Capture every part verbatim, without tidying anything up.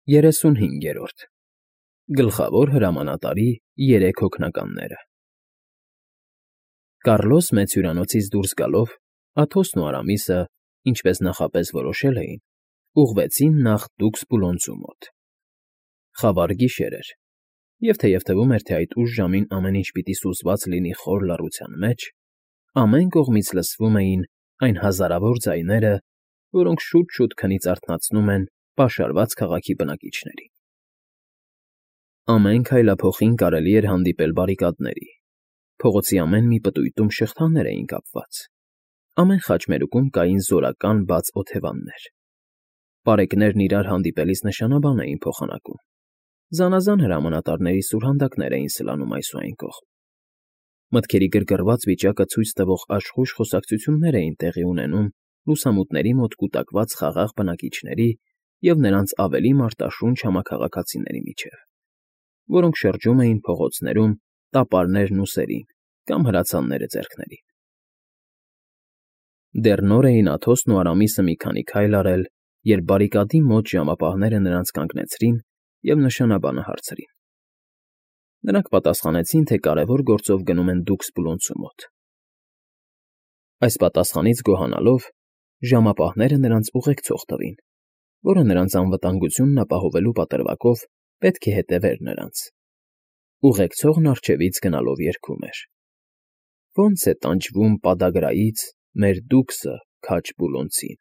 Երեսունհինգերորդ Գլխավոր հրամանատարի երեք հոգնականները Կառլոս մեծ հյուրանոցից դուրս գալով, Աթոսն ու Արամիսը, ինչպես նախապես որոշել էին, ուղղվեցին նախ Դուքսպուլոնցու մոտ. խավար գիշեր էր, և թեև թվում էր, թե այդ ուշ ժամին ամեն ինչ պիտի սուզված լինի խոր լռության մեջ, ամեն կողմից լսվում էին այն հազարավոր ձայները, որոնք շուտ֊շուտ քնից արթնացնում են պաշարված քաղաքի բնակիչներին. ամեն քայլափոխին կարելի էր հանդիպել բարիկադների, փողոցի ամեն մի պտույտում շղթաներ էին կապված, ամեն խաչմերուկում կային զորական բաց օթևաններ, պարեկներն իրար հանդիպելիս նշանաբան էին փոխանակում, զանազան հրամանատարների սուրհանդակներ էին սլանում այս ու այն կողմ, մտքերի գրգռված վիճակը ցույց տվող աշխույժ խոսակցություններ էին տեղի ունենում լուսամուտների մոտ կուտակված խաղաղ բնակիչների և նրանց ավելի մարտաշունչ համաքաղաքացիների միջև, որոնք շրջում էին փողոցներում տապարներն ուսերին կամ հրացանները ձեռքներին։ Դեռ նոր էին Աթոսն ու Արամիսը մի քանի քայլ արել, երբ բարիկադի մոտ ժամապահները նրանց կանգնեցրին և նշանաբանը հարցրին։ Նրանք պատասխանեցին, թե կարևոր գործով գնում են Դուքսպուլոնցու մոտ։ Այս պատասխանից գոհանալով, ժամապահները նրանց ուղեկցող տվին, որը նրանց անվտանգությունն ապահովելու պատրվակով պետք է հետևեր նրանց։ Ուղեկցողն առջևից գնալով երգում էր. Ոնց է տանջվում պադագրայից մեր Դուքսը քաջ Պուլոնցին։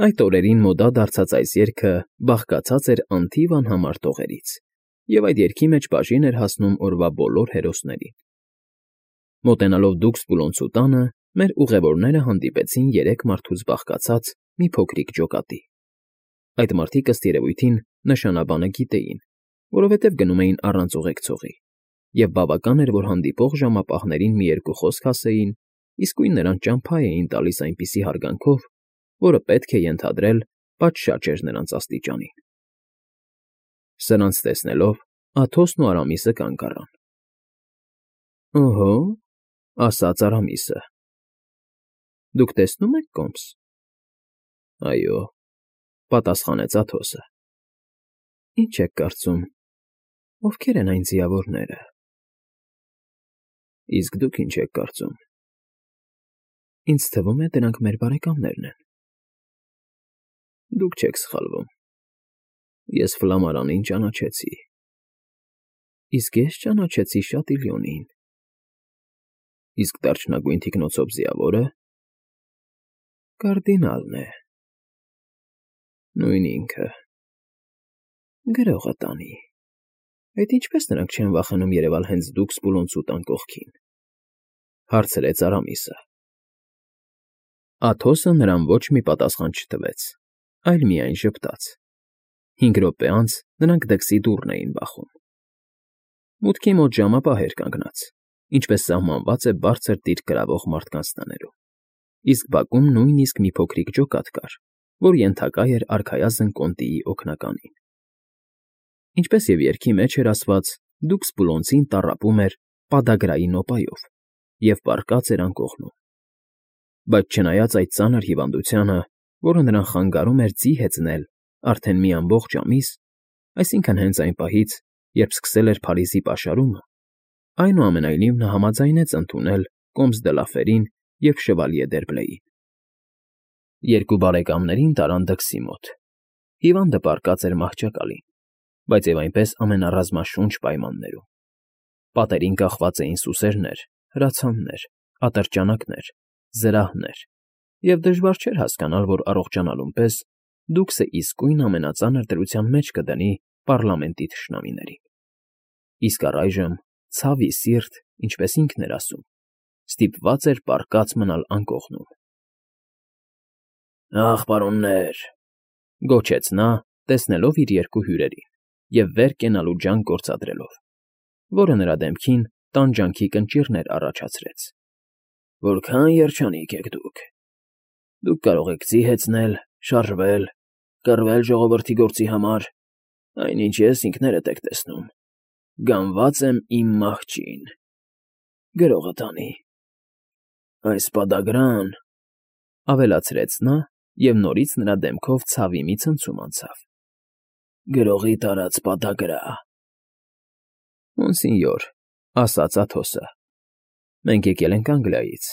Այդ օրերին մոդա դարձած այս երգը բաղկացած էր անթիվ անհամար տողերից, և այդ երգի մեջ բաժին էր հասնում օրվա բոլոր հերոսներին։ Մոտենալով Դուքսպուլոնցու տանը, մեր ուղևորները հանդիպեցին երեք մարդուց բաղկացած մի փոքրիկ ջոկատի։ Այդ մարդիկ ըստ երևույթին նշանաբանը գիտեին, որովհետև գնում էին առանց ուղեկցողի, և բավական էր, որ հանդիպող ժամապահներին մի երկու խոսք ասեին, իսկույն նրանց ճամփա էին տալիս այնպիսի հարգանքով, որը պետք է ենթադրել պատշաճ էր նրանց աստիճանին։ Սրանց տեսնելով, Աթոսն ու Արամիսը կանգ առան։ Օհո, ասաց Արամիսը, դուք տեսնո՞ւմ եք կոմս։ Այո, պատասխանեց Աթոսը։ Ինչ եք կարծում, ովքեր են այն ձիավորները։ Իսկ դուք ինչ եք կարծում։ Ինձ թվում է, դրանք մեր բարեկամներն են։ Դուք չեք սխալվում։ Ես Ֆլամարանին ճանաչեցի։ Իսկ ես ճանաչեցի Շատիլյոնին։ Իսկ դարչնագույն թիկնոցով ձիավորը կարդինալն է։ Նույն ինքը։ Գրողը տանի։ Այդ ինչպես նրանք չեն վախենում երևալ հենց Դուքսպուլոնցու տան կողքին, հարցրեց Արամիսը։ Աթոսը նրան ոչ մի պատասխան չտվեց, այլ միայն ժպտաց։ Հինգ րոպե անց նրանք դրսի դուռն էին բախում։ Մուտքի մոտ ժամապահ էր կանգնած, ինչպես սահմանված է բարձր դիրք կրավող մարդկանց տներում, իսկ բակում նույնիսկ մի փոքրիկ ջոկատ կար, որ ենթակա էր արքայազն կոնտիի օգնականին։ Ինչպես և երգի մեջ էր ասված, Դուքսպուլոնցին տառապում էր պադագրայի նոպայով և պառկած էր անկողնում։ Բայց չնայած այդ ծանր հիվանդությանը, որը նրան խանգարում էր ձի հեծնել արդեն մի ամբողջ ամիս, այսինքն հենց այն պահից, երբ սկսել էր Փարիզի պաշարումը, այնուամենայնիվ նա համաձայնեց ընդունել կոմս դը Լաֆերին և շվալյե Դերբլեին։ Երկու բարեկամներին տարան դքսի մոտ։ Հիվանդը պառկած էր մահճակալին, բայց և այնպես ամենառազմաշունչ պայմաններում։ Պատերին կախված էին սուսերներ, հրացաններ, ատրճանակներ, զրահներ, և դժվար չէր հասկանալ, որ առողջանալուն պես Դուքսը իսկույն ամենածանր դրության մեջ կդնի պառլամենտի թշնամիներին։ Իսկ առայժմ, ցավի սիրտ, ինչպես ինքն էր ասում, ստիպված էր պառկած մնալ անկողնում։ Ախ, պարոններ, գոչեց նա, տեսնելով իր երկու հյուրերին և վեր կենալու ջանք գործադրելով, որը նրա դեմքին տանջանքի կնճիռներ առաջացրեց։ Որքան երջանիկ եք դուք։ Դուք կարող եք ձի հեծնել, շարժվել, կռվել ժողովրդի գործի համար, այնինչ ես ինքներդ եք տեսնում, գանված եմ իմ մահճին։ Գրողը տանի։ Այս պադագրան, ավելացրեց նա, և նորից նրա դեմքով ցավի մի ցնցում անցավ։ Գրողի տարած պատակրա։ Մոնսինյոր, ասաց Աթոսը, մենք եկել ենք Անգլիայից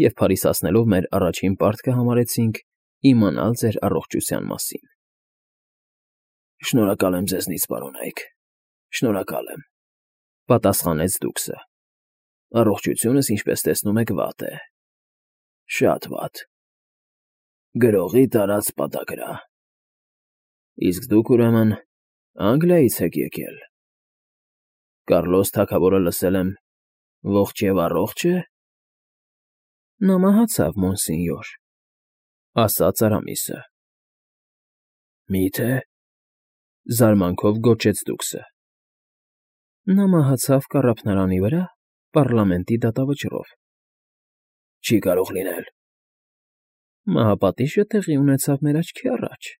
և փարիսացնելով մեր առաջին պարտքը համարեցինք իմանալ ձեր առողջության մասին։ Շնորհակալ եմ ձեզնից, պարոնայք, շնորհակալ եմ,֊ պատասխանեց դուքսը։ Առողջությունս, ինչպես տեսնում եք, վատ է, շատ վատ։ Գրողի տարած պատակրա։ Իսկ դուք, ուրեմն, Անգլիայից եք եկել։ Կառլոս թագավորը, լսել եմ, ողջ և առողջ է։ Նա մահացավ, մոնսինյոր, ասաց Արամիսը։ Մի՞թե,֊ զարմանքով գոչեց դուքսը։ Նա մահացավ կառափնարանի վրա, պառլամենտի դատավճռով։ Չի կարող լինել։ Մահապատիժը տեղի ունեցավ մեր աչքի առաջ։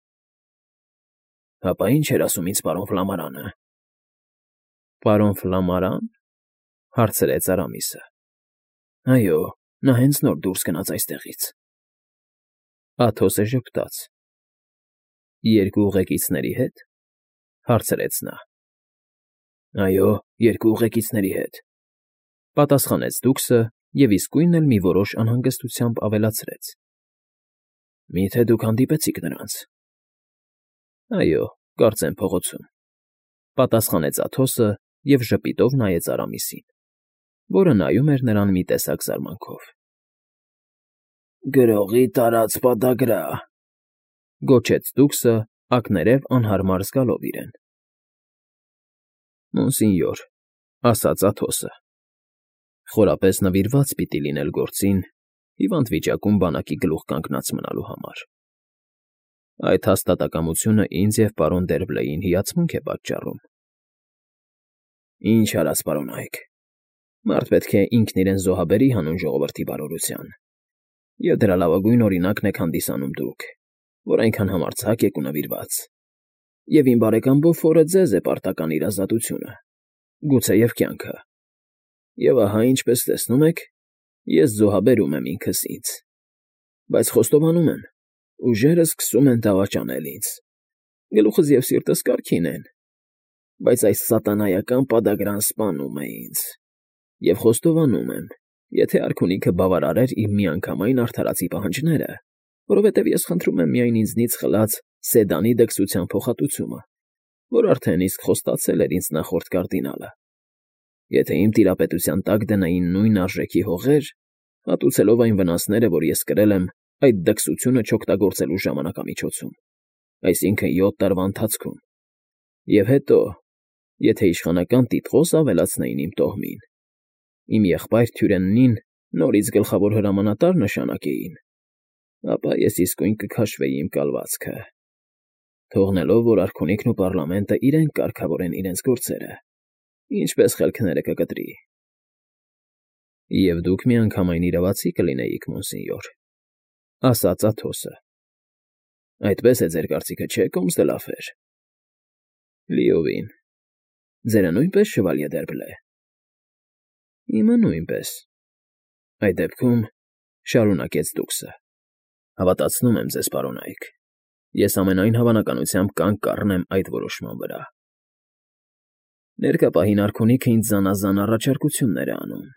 Հապա ի՞նչ էր ասում ինձ պարոն Ֆլամարանը։ Պարոն Ֆլամարան,֊ հարցրեց Արամիսը։ Այո, նա հենց նոր դուրս գնաց այստեղից։ Աթոսը ժպտաց։ Երկու ուղեկիցների հետ,֊ հարցրեց նա։ Այո, երկու ուղեկիցների հետ,֊ պատասխանեց դուքսը և իսկույն էլ մի որոշ անհանգստությամբ ավելացրեց։ Մի՞թե դուք հանդիպեցիք նրանց։ Այո, կարծեմ փողոցում,֊ պատասխանեց Աթոսը և ժպիտով նայեց Արամիսին, որը նայում էր նրան մի տեսակ զարմանքով։ Գրողի տարած պատակրա,֊ գոչեց դուքսը, ակներև անհարմար զգալով իրեն։ Մոնսինյոր, ասաց Աթոսը, խորապես նվիրված պիտի լինել գործին, հիվանդ վիճակում բանակի գլուխ կանգնած մնալու համար։ Այդ հաստատակամությունը ինձ և պարոն Դերբլեյին հիացմունք է պատճառում։ Ինչ արած, պարոնայք, մարդ պետք է ինքն իրեն զոհաբերի հանուն ժողովրդի բարօրության, և դրա լավագույն օրինակն եք հանդիսանում դուք, որ այնքան համարձակ եք ու նվիրված։ Եվ իմ բարեկամ Բոֆորը ձեզ է պարտական իր ազատությունը, գուցեև կյանքը։ Եվ ահա, ինչպես տեսնում եք, ես զոհաբերում եմ ինքս ինձ, բայց խոստովանում եմ, ուժերս սկսում են դավաճանել ինձ, գլուխս և սիրտս կարգին են, բայց այս սատանայական պադագրան սպանում է ինձ, և խոստովանում եմ, եթե արքունիքը բավարարեր իմ միանգամայն արդարացի պահանջները, որովհետև ես խնդրում եմ միայն ինձնից խլած Սեդանի դքսության փոխհատուցումը, որ արդեն իսկ խոստացել էր ինձ նախորդ կարդինալը, եթե իմ տիրապետության տակ դնեին նույն արժեքի հողեր, հատուցելով այն վնասները, որ ես կրել եմ այդ դքսությունը չօգտագործելու ժամանակամիջոցում, այսինքն յոթ տարվա ընթացքում, և հետո, եթե իշխանական տիտղոս ավելացնեին իմ տոհմին, իմ եղբայր Թյուրենին նորից գլխավոր հրամանատար նշանակեին, ապա ես իսկույն կքաշվեի իմ կալվածքը, թողնելով, որ արքունիքն ու պառլամենտը իրենք կարգավորեն իրենց գործերը, ինչպես խելքները կկտրի։ Եվ դուք միանգամայն իրավացի կլինեիք, մոնսինյոր, ասաց Աթոսը։ Այդպես է ձեր կարծիքը, չէ՞, կոմս դե Լաֆեր։ Լիովին։ Ձերը նույնպես, շվալյե Դերբլե։ Իմը նույնպես։ Այդ դեպքում, շարունակեց դուքսը, հավատացնում եմ ձեզ, պարոնայք, ես ամենայն հավանականությամբ կանգ կառնեմ այդ որոշման վրա։ Ներկա պահին արքունիքը ինձ զանազան առաջարկություններ է անում,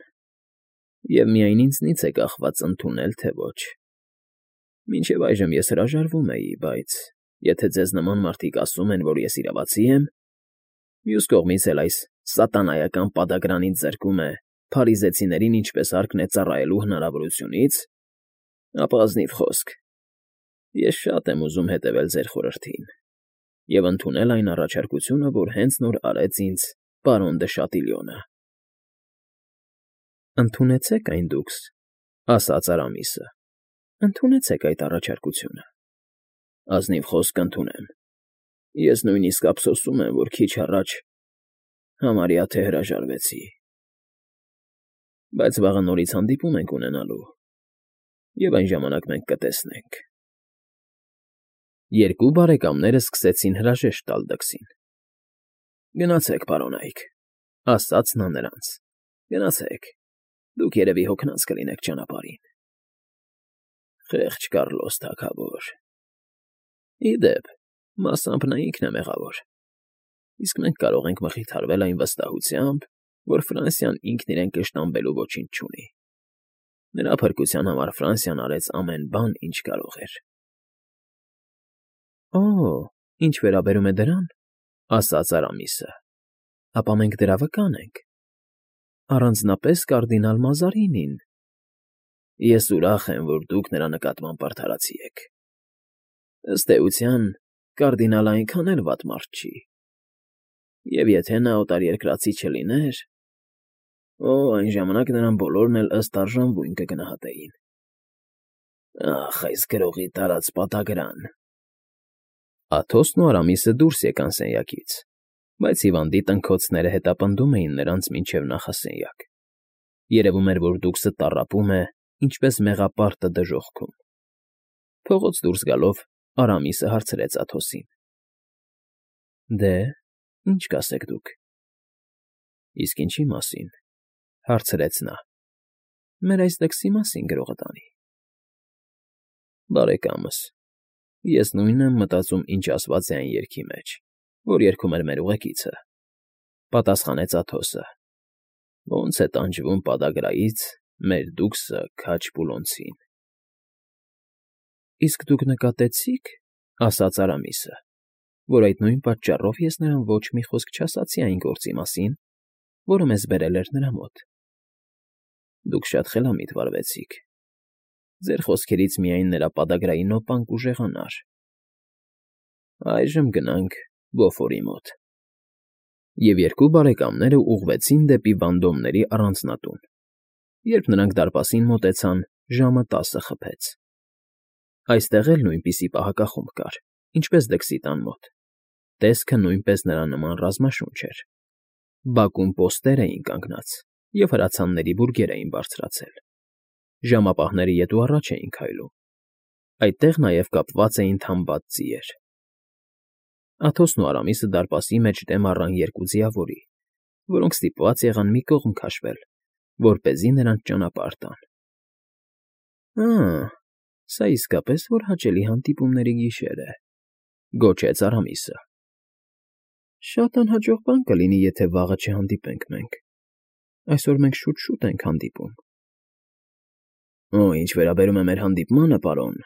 և միայն ինձնից է կախված ընդունել, թե ոչ։ Մինչև այժմ ես հրաժարվում էի, բայց եթե ձեզ նման մարդիկ ասում են, որ ես իրավացի եմ, մյուս կողմից էլ այս սատանայական պադագրան ինձ զրկում է փարիզեցիներին ինչպես հարկն է ծառայելու հնարավորությունից, ապա ազնիվ խոսք, ես շատ եմ ուզում հետևել ձեր խորհրդին և ընդունել այն առաջարկությունը, որ հենց նոր արեց ինձ պարոն դը Շատիլյոնը։ Ընդունեցեք այն դուքս, ասաց Արամիսը, ընդունեցեք այդ առաջարկությունը։ Ազնիվ խոսք կընդունեմ։ Ես նույնիսկ ափսոսում եմ, որ քիչ առաջ համարյա թե հրաժարվեցի։ Բայց վաղը նորից հանդիպում ենք ունենալու, և այն ժամանակ մենք կտեսնենք։ Երկու բարեկամները սկսեցին հրաժեշտ տալ դքսին։ Գնացեք, պարոնայք, ասաց նա նրանց, գնացեք, դուք երևի հոգնած կլինեք ճանապարհին։ Խեղճ Կառլոս թագավոր։ Ի դեպ, մասամբ նա ինքն է մեղավոր։ իսկ մենք կարող ենք մխիթարվել այն վստահությամբ, որ Ֆրանսիան ինքն իրեն կշտամբելու ոչինչ չունի։ Նրա փրկության համար Ֆրանսիան արեց ամեն բան, ինչ կարող էր։ ֊ Օ, ինչ վերաբերում է դրան,֊ ասաց Արամիսը,֊ ապա մենք դրա վկան ենք, առանձնապես կարդինալ Մազարինին։ Ես ուրախ եմ, որ դուք նրա նկատմամբ արդարացի եք։ Ըստ էության, կարդինալը այնքան էլ վատ մարդ չի։ Եվ եթե նա օտարերկրացի չլիներ… Օ, այն ժամանակ նրան բոլորն էլ ըստ արժանվույն կգնահատեին։ Ախ, այս գրողի տարած պատագրան… Աթոսն ու Արամիսը դուրս եկան սենյակից, բայց հիվանդի տնքոցները հետապնդում էին նրանց մինչև նախասենյակ. երևում էր, որ դուքսը տառապում է, ինչպես մեղապարտը դժոխքում։ Փողոց դուրս գալով Արամիսը հարցրեց Աթոսին. ֊ Դե, ի՞նչ կասեք դուք։ ֊ Իսկ ինչի մասին,֊ հարցրեց նա։ ֊ Մեր այս դքսի մասին, գրողը տանի։ ֊ Բարեկամս, ես նույնն եմ մտածում, ինչ ասված է այն երգի մեջ, որ երգում էր մեր ուղեկիցը,֊ պատասխանեց Աթոսը. ոնց է տանջվում պադագրայից մեր դուքսը քաջ Պուլոնցին։ ֊ Իսկ դուք նկատեցի՞ք,֊ ասաց Արամիսը,֊ որ այդ նույն պատճառով ես նրան ոչ մի խոսք չասացի այն գործի մասին, որը մեզ բերել էր նրա մոտ։ Դուք շատ խելամիտ վարվեցիք. ձեր խոսքերից միայն նրա պադագրայի նոպան կուժեղանար։ Այժմ գնանք Բոֆորի մոտ։ Եվ երկու բարեկամները ուղղվեցին դեպի Վանդոմների առանձնատուն։ Երբ նրանք դարպասին մոտեցան, ժամը տասը խփեց։ Այստեղ էլ նույնպիսի պահակախումբ կար, ինչպես դքսի տան մոտ։ Տեսքը նույնպես նրա նման ռազմաշունչ էր։ Բակում պոստեր էին կանգնած, և հրացանների բուրգեր էին բարձրացել։ Ժամապահները ետ ու առաջ էին քայլում։ Այդտեղ նաև կապված էին թամբած ձիեր։ Աթոսն ու Արամիսը դարպասի մեջ դեմ առան երկու ձիավորի, որոնք ստիպված եղան մի կողմ քաշվել, որպեսզի նրանց ճանապարհ տան։ «Ա՜, սա իսկապես որ հաճելի հանդիպումների գիշեր է,֊ գոչեց Արամիսը։ Շատ անհաջող բան կլինի, եթե վաղը չհանդիպենք մենք։ Այսօր մենք շուտ֊շուտ ենք հանդիպում։ ֊ Օ, ինչ վերաբերում է մեր հանդիպմանը, պարոն,֊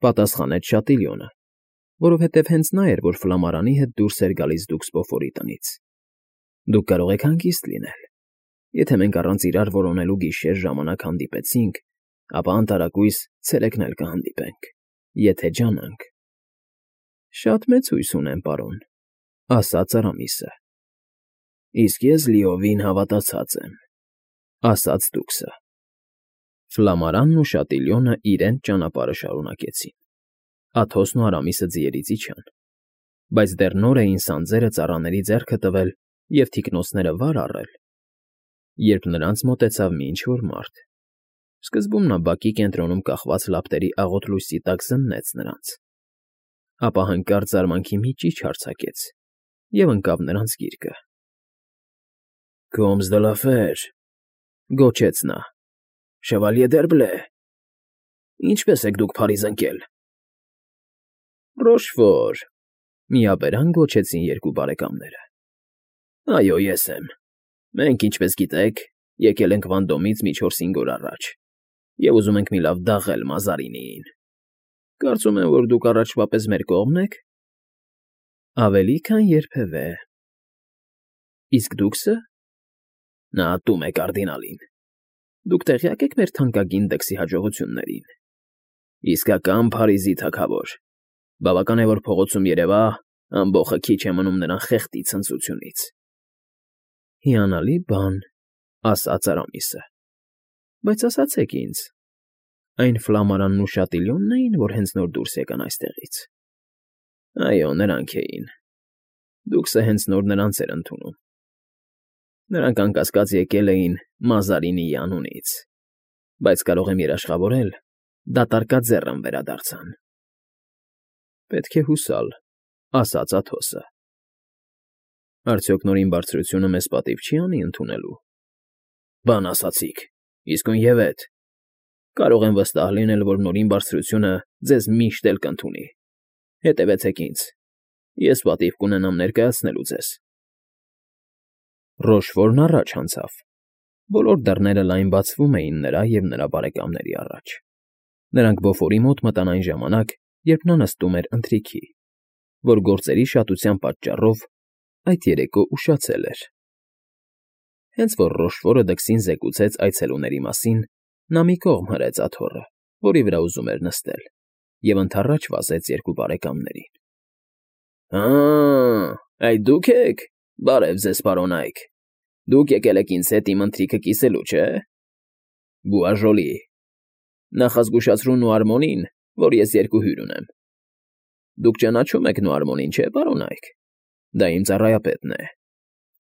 պատասխանեց Շատիլյոնը, որովհետև հենց նա էր, որ Ֆլամարանի հետ դուրս էր գալիս դուքս Բոֆորի տնից։ Դուք կարող եք հանգիստ լինել։ Եթե մենք առանց իրար որոնելու գիշեր ժամանակ հանդիպեցինք, ապա անտարակույս ցերեկն էլ կհանդիպենք, եթե ջանանք։ ֊ Շատ մեծ հույս ունեմ, պարոն,֊ ասաց Արամիսը։ ֊ Իսկ ես լիովին հավատացած եմ,֊ ասաց դուքսը։ Ֆլամարանն ու Շատիլյոնը իրենց ճանապարհը շարունակեցին։ Աթոսն ու Արամիսը ձիերից իջան, բայց դեռ նոր էին սանձերը ծառաների ձեռքը տվել և թիկնոցները վար առել, երբ նրանց մոտեցավ մի ինչ֊որ մարդ։ Սկզբում նա բակի կենտրոնում կախված լապտերի աղոտ լույսի տակ զննեց նրանց, ապա հանկարծ զարմանքի մի ճիչ արձակեց և ընկավ նրանց գիրկը։ ֊ Կոմս դը լա ֆեր,֊ գոչեց նա,֊ Շևալյե Դերբլե, ինչպե՞ս եք դուք Փարիզ ընկել։ ֊ Ռոշֆոր,֊ միաբերան գոչեցին երկու բարեկամները։ ֊ Այո, ես եմ։ Մենք, ինչպես գիտեք, եկել ենք Վանդոմից մի չորս֊հինգ օր առաջ և ուզում ենք մի լավ դաղել Մազարինիին։ Կարծում եմ, որ դուք առաջվա պես մեր կողմն եք։ ֊ Ավելի քան երբևէ։ ֊ Իսկ դուքսը։ ֊ Նա ատում է կարդինալին։ Դուք տեղյա՞կ եք մեր թանկագին դքսի հաջողություններին։ Իսկական Փարիզի թագավոր։ Բավական է, որ փողոցում երևա, ամբոխը քիչ է մնում նրան խեղդի ցնծությունից։ ֊ Հիանալի բան,֊ ասաց Արամիսը։ ֊ Բայց ասացեք ինձ, այն Ֆլամարանն ու Շատիլյոնն էին, որ հենց նոր դուրս եկան այստեղից։ ֊ Այո, նրանք էին։ Դուքսը հենց նոր նրանց էր ընդունում։ Նրանք անկասկած եկել էին Մազարինիի անունից, բայց կարող եմ երաշխավորել, դատարկաձեռն վերադարձան։ ֊ Պետք է հուսալ,֊ ասաց Աթոսը։ ֊ Արդյոք Նորին Բարձրությունը մեզ պատիվ չի անի ընդունելու։ ֊ Բան ասացիք, իսկույնևեթ։ Կարող եմ վստահ լինել, որ Նորին Բարձրությունը ձեզ միշտ էլ կընդունի։ Հետևեցեք ինձ։ ես պատիվ կունենամ ներկայացնելու ձեզ։ Ռոշֆորն առաջ անցավ։ Բոլոր դռները լայն բացվում էին նրա և նրա բարեկամների առաջ։ Նրանք Բոֆորի մոտ մտան այն ժամանակ, երբ նա նստում էր ընթրիքի, որ գործերի շատության պատճառով այդ երեկո ուշացել էր։ Հենց որ Ռոշֆորը դքսին զեկուցեց այցելուների մասին, նա մի կողմ հրեց աթոռը, որի վրա ուզում էր նստել, և ընդառաջ վազեց երկու բարեկամներին։ Հա՜, այդ դուք եք, բարև ձեզ, պարոնայք, դուք եկել եք ինձ հետ իմ ընթրիքը կիսելու, չէ՞։ Բուաժոլի, նախազգուշացրու Նուարմոնին, որ ես երկու հյուր ունեմ։ Դուք ճանաչում եք Նուարմոնին, չէ՞, պարոնայք։ Դա իմ ծառայապետն է,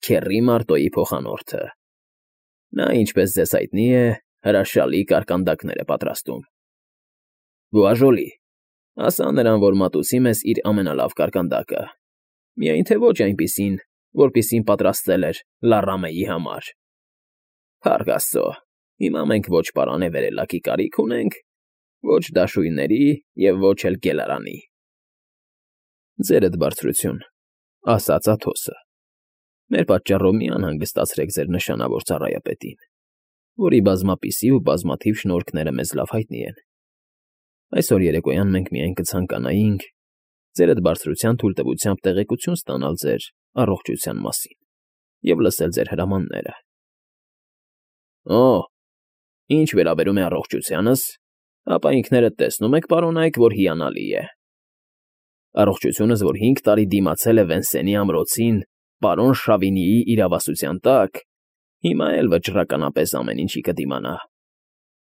Քեռի Մարտոյի փոխանորդը։ Նա, ինչպես ձեզ հայտնի է, հրաշալի կարկանդակներ է պատրաստում։ Բուաժոլի, ասա նրան, որ մատուցի մեզ իր ամենալավ կարկանդակը, միայն թե ոչ այնպիսին, որպիսին պատրաստել էր Լառամեի համար։ Փառք Աստծո, հիմա մենք ոչ պարանե վերելակի կարիք ունենք, ոչ դաշույնների և ոչ էլ գելարանի։ Ձերդ բարձրություն, ասաց Աթոսը, մեր պատճառով մի անհանգստացրեք ձեր նշանավոր ծառայապետին, որի բազմապիսի ու բազմաթիվ շնորհքները մեզ լավ հայտնի են։ Այսօր երեկոյան մենք միայն կցանկանայինք ձերդ բարձրության թույլտվությամբ տեղեկություն ստանալ ձեր առողջության մասին և լսել ձեր հրամանները։ Օ, ինչ վերաբերում է առողջությանս, ապա ինքներդ տեսնում եք, պարոնայք, որ հիանալի է։ Առողջությունս, որ հինգ տարի դիմացել է Վենսենի ամրոցին պարոն Շավինիի իրավասության տակ, հիմա էլ վճռականապես ամեն ինչի կդիմանա։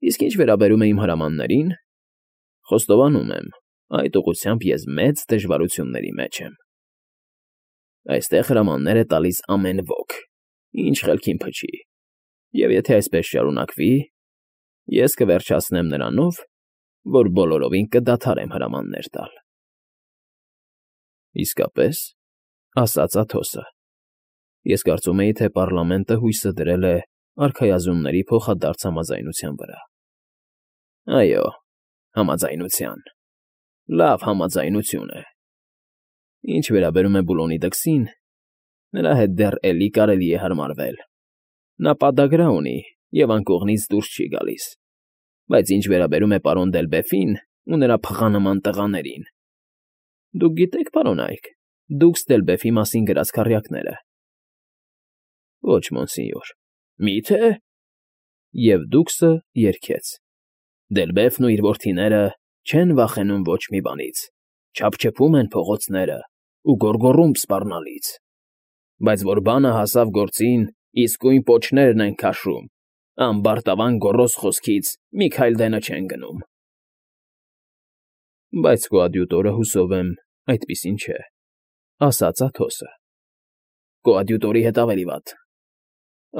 Իսկ ինչ վերաբերում է իմ հրամաններին, խոստովանում եմ, այդ ուղղությամբ ես մեծ դժվարությունների մեջ եմ։ Այստեղ հրամաններ է տալիս ամեն ոք, ինչ խելքին փչի, և եթե այսպես շարունակվի, ես կվերջացնեմ նրանով, որ բոլորովին կդադարեմ հրամաններ տալ։ Իսկապես, ասաց Աթոսը, ես կարծում էի, թե պառլամենտը հույսը դրել է արքայազնների փոխադարձ համաձայնության վրա։ Այո, համաձայնության, լավ համաձայնություն է։ Ինչ վերաբերում է Բուլոնի դքսին, նրա հետ դեռ էլի կարելի է հարմարվել։ Նա պադագրա ունի և անկողնից դուրս չի գալիս, բայց ինչ վերաբերում է պարոն Դելբեֆին ու նրա փղանման տղաներին… Դուք գիտեք, պարոնայք, դուքս Դելբեֆի մասին գրած քառյակները։ Ոչ, մոնսինյոր։ Մի՞թե… Եվ դուքսը երգեց. Դելբեֆն ու իր որդիները չեն վախենում ոչ մի բանից, չափչփում են փողոցները ու գոռգոռում սպառնալից, բայց որ բանը հասավ գործին, իսկույն պոչներն են քաշում, ամբարտավան գոռոզ խոսքից մի քայլ դենը չեն գնում։ Բայց կոադյուտորը, հուսով եմ, այդպիսին չէ, ասաց Աթոսը։ Կոադյուտորի հետ ավելի վատ։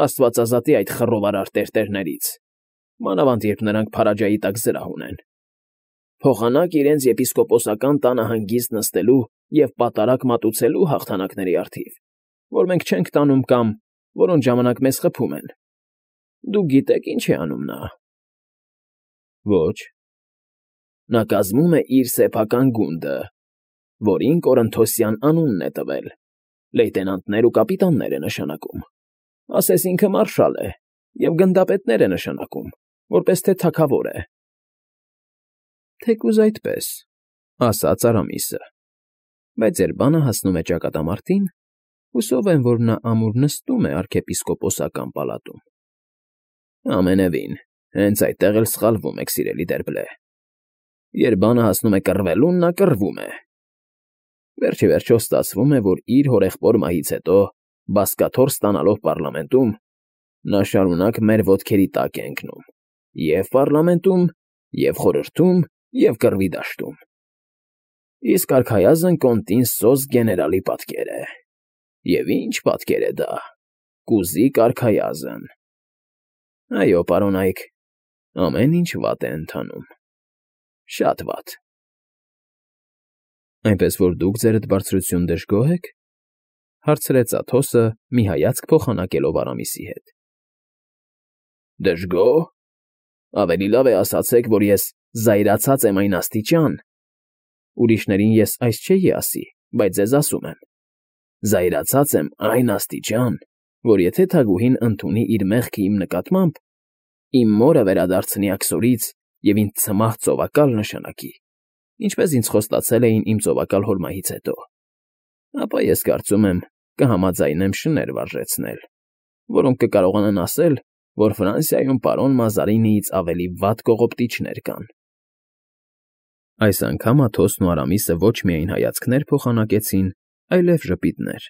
Աստված ազատի այդ խռովարար տերտերներից, մանավանդ երբ նրանք Փարաջայի տակ զրահ ունեն։ Փոխանակ իրենց եպիսկոպոսական տանը հանգիստ նստելու և պատարագ մատուցելու հաղթանակների առթիվ, որ մենք չենք տանում կամ որոնց ժամանակ մեզ խփում են։ Դուք գիտեք, ինչ է անում նա։ Ոչ։ Նա կազմում է իր սեփական գունդը, որին Կորընթոսյան անունն է տվել, լեյտենանտներ ու կապիտաններ է նշանակում, ասես ինքը մարշալ է և գնդապետներ է նշանակում, որպես թե թագավոր է։ Թեկուզ այդպես, ասաց Արամիսը, բայց ձեր բանը հասնում է ճակատամարտին, հուսով եմ, որ նա ամուր նստում է արքեպիսկոպոսական պալատում։ Ամենևին, հենց այդտեղ էլ սխալվում եք, սիրելի Դերբլե։ Երբ բանը հասնում է կռվելուն, նա կռվում է։ Վերջիվերջո ստացվում է, որ իր հորեղբոր մահից հետո, բազկաթոռ ստանալով պառլամենտում, նա շարունակ մեր ոտքերի տակ է ընկնում, և՛ պառլամենտում, և՛ խորհրդում, և՛ կռվի դաշտում։ Իսկ արքայազն կոնտին Սոզ գեներալի պատկեր է։ Եվ ի՜նչ պատկեր է դա, կուզիկ արքայազն։ Այո, պարոնայք, ամեն ինչ վատ է ընթանում, շատ վատ։ Այնպես որ դուք, ձերդ բարձրություն, դժգոհ եք,֊ հարցրեց Աթոսը, մի հայացք փոխանակելով Արամիսի հետ։ Դժգո՞հ… Ավելի լավ է ասացեք, որ ես զայրացած եմ այն աստիճան… Ուրիշներին ես այս չէի ասի, բայց ձեզ ասում եմ. զայրացած եմ այն աստիճան, որ եթե թագուհին ընդունի իր մեղքը իմ նկատմամբ, իմ մորը վերադարձնի աքսորից և ինձ ցմահ ծովակալ նշանակի, ինչպես ինձ խոստացել էին իմ ծովակալ հորմայից հետո, ապա ես կարծում եմ կհամաձայնեմ շներ վարժեցնել, որոնք կկարողանան ասել, որ Ֆրանսիայում պարոն Մազարինիից ավելի վատ կողոպտիչներ կան։ Այս անգամ Աթոսն ու Արամիսը ոչ միայն հայացքներ փոխանակեցին, այլև ժպիտներ։